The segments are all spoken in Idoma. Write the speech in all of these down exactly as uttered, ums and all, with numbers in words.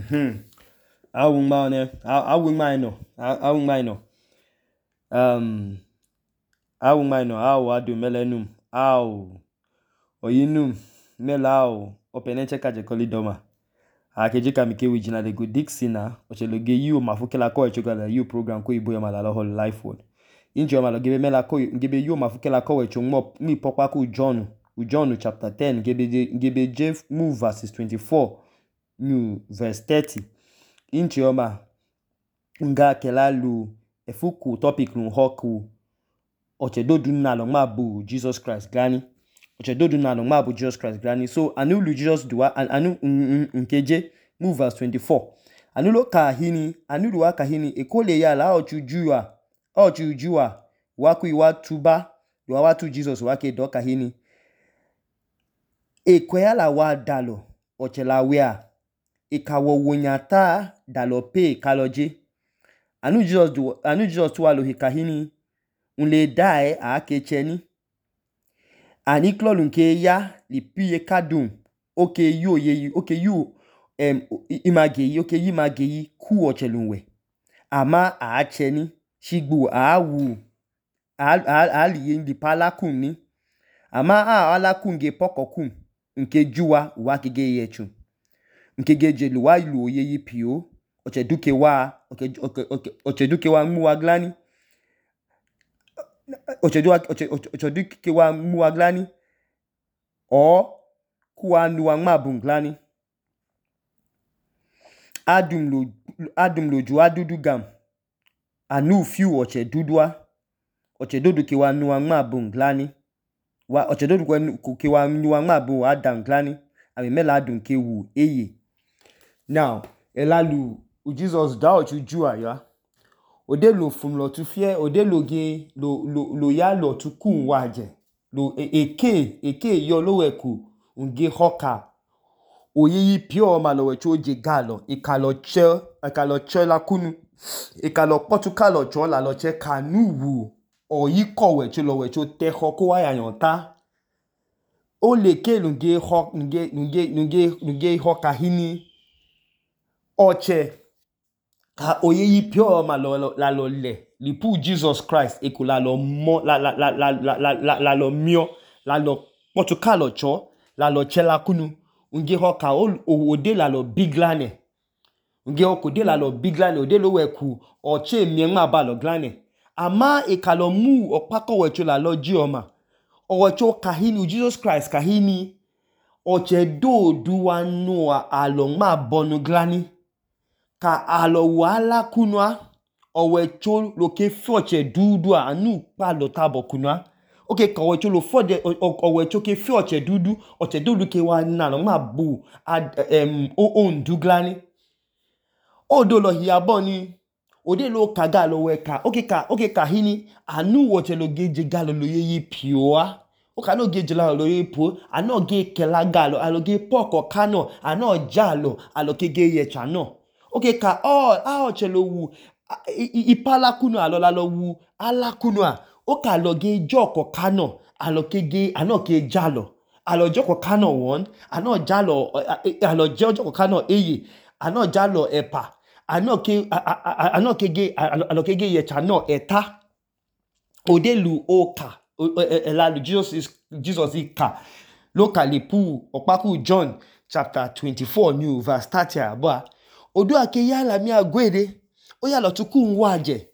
Hmm. Awu ngma ne. Awu ngma ino. Awu ngma ino. Um. Awu ngma ino. Awu adu melenum. Awu. Oyinum. Melao. Openenche kaje koli doma. Akejika mike wijina de go Dixina. Ocheloge yu mafukela ko echogala yu program ko ibo yoma la whole life word. Injo yoma lo gebe mela ko gebe yu mafukela ko echogmo mi pokwa ku John. John chapter ten gebe gebe J move verses twenty-four. New verse thirty. Inchi yoma nga kelalu efuku topic nu hoku ochedodu na lo mabu Jesus Christ gani. Ochedodu na lo mabu Jesus Christ gani. So anu lu Jesus duwa anu nkeje move verse twenty-four. Anu lo kahini anu duwa kahini ekole ya la ochujua ochujua waku iwa tuba duwa watu Jesus wake do kahini ekwea la wa dalo ochela wea ikawo wonyata dalo pe kaloje anu Jesus du anu Jesus tuwa lo hikahini unle dae a kecheni ani klolu nke ya lipiye kadum oke yu ye oke yu em imageyi oke yi mageyi ku ochelunwe ama a acheni shigbu a wu a aliye ndi palakun ni ama a alakun ge pokokun nke juwa wa kege yechu nke geje lu wa lu oye yi pio ocheduke wa oke oke ocheduke wa mu wa glani ocheduwa ocheduke wa mu wa glani o kuwa nu wa ngma bunglani adum lo adum lo ju adudu gam anu fiu ochedudua ochedodu ke wa nu wa ngma bunglani wa ochedodu ke wa nu wa ngma bu adam glani ami mela adum ke wu eye. Now elalu Jesus da ochujua ya ode lo fun lo tu fie ode lo ge lo lo lo ya lo tu kun waje lo eke eke yo lo weku unge hoka oyeyi pio ma lo wecho je galo ikalo che ikalo che la kunu ikalo potu kalo cho la lo che kanuwu oyi ko wecho lo wecho te hoko wa yanyota o le ke lunge ho nge nge nge nge hoka hini oche ka oyeyi pio ma lo la lo le lipu Jesus Christ ekula lo mo la la la la la la la lo mio la lo potu kalo cho la lo che la kunu unge hoka ode la lo biglane unge okode la lo biglane ode lo weku oche mienma ba lo glane ama ekalo mu opako wecho la lo jioma owecho kahini Jesus Christ kahini oche do duwa noa alo ma bonu glani ka alo wala kunwa owecho lo ke foche dudu anu pa lo tabo kunwa oke ka owecho lo fode owecho ke foche dudu oche dudu ke wa na lo ma bu em o on duglani odo lo hiabo ni ode lo kaga lo weka oke ka oke ka hini anu woche lo geje galo lo yeyi pioa o ka no geje la lo yeyi po ano ge kela galo alo ge poko kano ano jalo alo ke ge ye chano oke ka all a oche lo wu ipala kunu alo la lo wu ala kunu a o ka lo ge joko kano alo ke ge ano ke jalo alo joko kano won ano jalo alo joko kano eye ano jalo epa ano ke ano ke ge alo ke ge ye chano eta odelu oka elalu Jesus is Jesus ika locally pu opaku John chapter twenty-four new verse thirty aba odu ake yala mi agwede o yalo tukun waje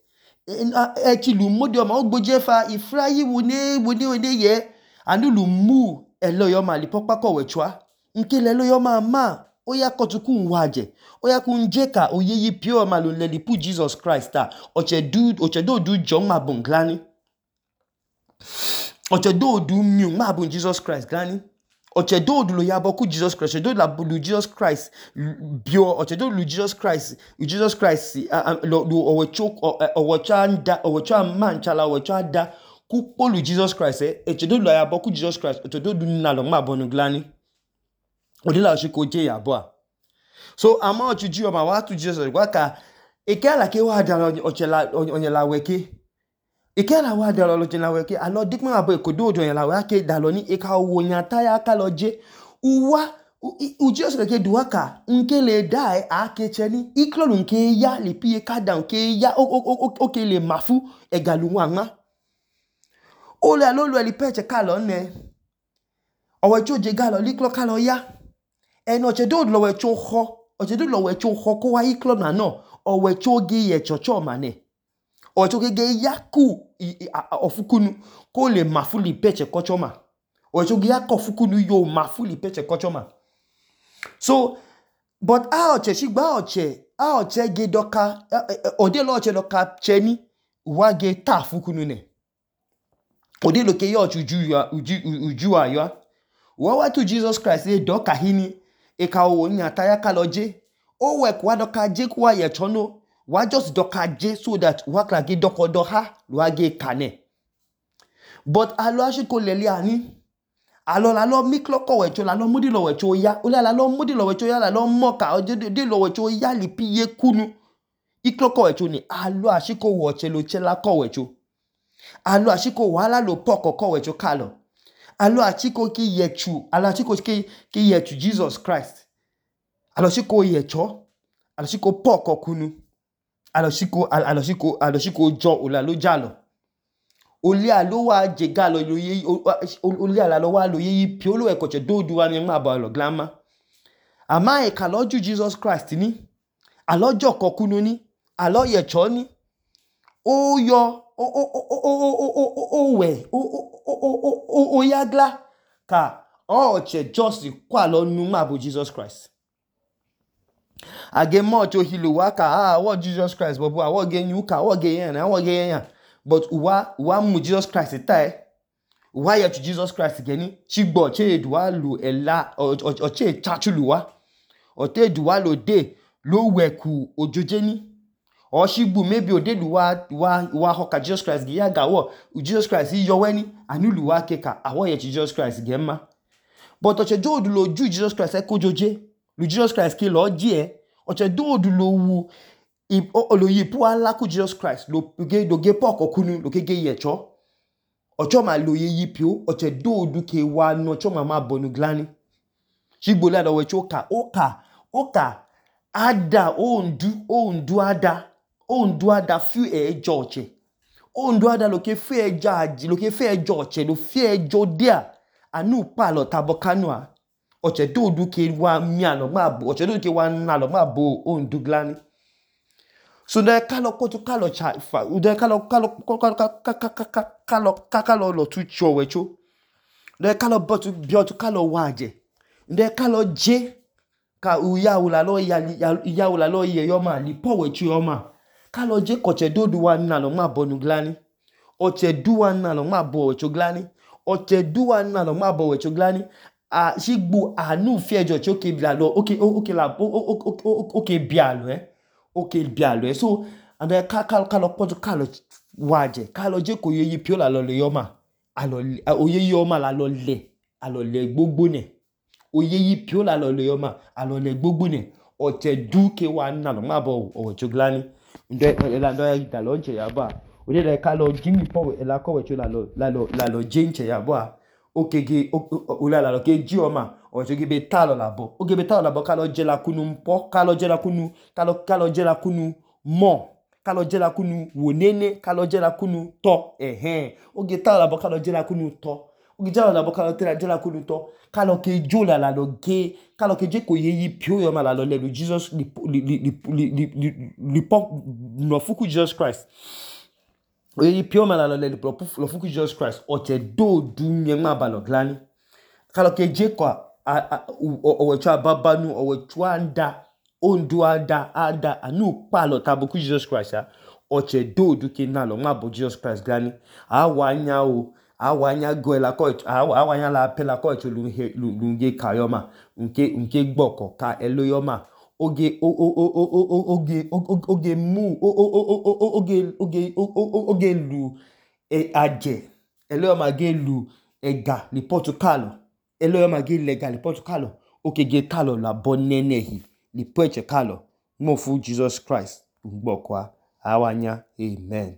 e ti lu modi o ma ogboje fa ifrayi woni woni woni ye anu lu mu elo yo ma li popako wechwa nke le lo yo ma ma o ya kotukun waje o ya kun jeka oyeyi pure ma lo le li pu Jesus Christ ta oche du oche do du John ma bunglani oche do du mi ma bun Jesus Christ glani oche do du lo ya boku Jesus Christ oche do la bu Jesus Christ bio oche do lu Jesus Christ Jesus Christ lo owecho owecha nda owecha man chala owecha da ku polu Jesus Christ eh oche do lo ya boku Jesus Christ oche do du na lo ma bonu glani ode la shiko je ya bo so ama ochuju o ma wa tu Jesus wa ka eke ala ke wa da oche la onye la weke ike la wa da lo jina weke alo dikma abo ekodo odo yen la wa ke da lo ni eka wo yan ta ya ka lo je uwa u Jesus ke duwa ka nke le dai ake cheni iklolu nke ya le piye kada nke ya o ke le mafu egalu wanga ole alolu eli peche kalo ne owe choje galo liklo kalo ya eno chedo lo we choho ochedo lo we choho ko wa iklo na no owe choge ye chocho mane owe choge ge yaku ofukunu ko le mafu li peche kochoma owe choge yaku ofukunu yo mafu li peche kochoma. So but a oche shigba oche a oche ge doka ode lo oche doka cheni wa ge ta fukunu ne ode lo ke yo uju uju uju ayo wa wa to Jesus Christ e doka hini e ka o nya ta ya ka loje o we kwa doka je kwa ye chono wa just doka je so that wa kla ge doko do ha wa ge kane but alo ashiko lele ani alo la lo miklo ko wecho la lo mudi lo wecho ya ole la lo mudi lo wecho ya la lo moka o de lo wecho ya li piye kunu iklo ko wecho ni alo ashiko woche lo chela ko wecho alo ashiko wala lo poko ko wecho kalo alo ashiko ki yechu alo ashiko ki ki yechu Jesus Christ alo ashiko yecho alo ashiko poko kunu alo ashiko alo ashiko alo ashiko jo ola lo jalo oli alo wa je galo lo ye oli alo wa lo ye piolo e koche dodu wa ni ma ba lo glama ama e ka loju Jesus Christ ni alojo kokunu ni alo ye cho ni o yo o o o o o o we o o o o yagla ka o che just kwa lo nu ma bo Jesus Christ age mo cho hilu wa ka ah what Jesus Christ bobo awo ge nyu ka awo ge yan awo ge yan but uwa uwa mu Jesus Christ tai uwa ya to Jesus Christ geni chigbo che eduwa lu ela o che chachuluwa o te eduwa lo de lo weku ojoje ni o shigbu maybe o de luwa wa wa hoka Jesus Christ gi ya gawo Jesus Christ yo weni anuluwa keka awo ya Jesus Christ gemma but o che do lo ju Jesus Christ e kojoje lu Jesus Christ ki lo ji e o che do lo wu lo yipu ala ku Jesus Christ lo ge do ge poko kunu lo ke ge yecho ocho ma lo ye yipio oche do du ke wa no ocho ma ma bonu glani shigbo la do we choka oka oka ada ondu ondu ada ondu ada fu e joche ondu ada lo ke fe e jaji lo ke fe e joche lo fe e jodia anu pa lo tabokanua oche do du ke wa mi alo ma bo oche do ke wa na lo ma bo ondu glani. So de kalo koto kalo cha fa de kalo kalo kalo kalo kalo lo tu cho wecho de kalo botu biotu kalo waje de kalo je ka uya ula lo ya ya ula lo ye yo ma li po wecho yo ma kalo je ko che dodu wa na lo ma bonu glani o che duwa na lo ma bo wecho glani o che duwa na lo ma bo wecho glani a shigbu anu fi ejo che oke bia lo oke oke la oke bia lo eh okay bialo so and then kalo kalo poto kalo waje kalo je ko yeyi pio la lo le yoma alo oyeyi yoma la lo le alo le gbogbo ne oyeyi pio la lo le yoma alo le gbogbo ne o te du ke wa na lo ma bo o choglani nde la ndo ya lo nche ya ba o de kalo jimi po la ko we cho la lo la lo la lo je nche ya ba okege o la la lo ke ji oma o jogi be talo labo o ge be talo labo kalo je la kunu mpo kalo je la kunu kalo kalo je la kunu mo kalo je la kunu wonene kalo je la kunu to ehe o ge talo labo kalo je la kunu to o ge talo labo kalo tira je la kunu to kalo ke jo la la lo ge kalo ke je ko yeyi pio yo ma la lo le Jesus li li li li li po no fuku Jesus Christ o yeyi pio ma la lo le lo fuku Jesus Christ o te do du nyema ba lo glani kalo ke je kwa owecho ababanu owecho anda ondu ada ada anu palo tabuku Jesus Christ ya oche do duke na lo ma bo Jesus Christ gani awanya o awanya go la ko awanya la pela ko chu lu lu nge kayoma nke nke gboko ka eloyoma oge oge oge mu oge oge oge lu e aje eloyoma ge lu ega ni Portugal elo ma ge legal Portugal oke ge kalo la bonnenehi ni preche kalo mo fu Jesus Christ ngbo kwa awanya amen.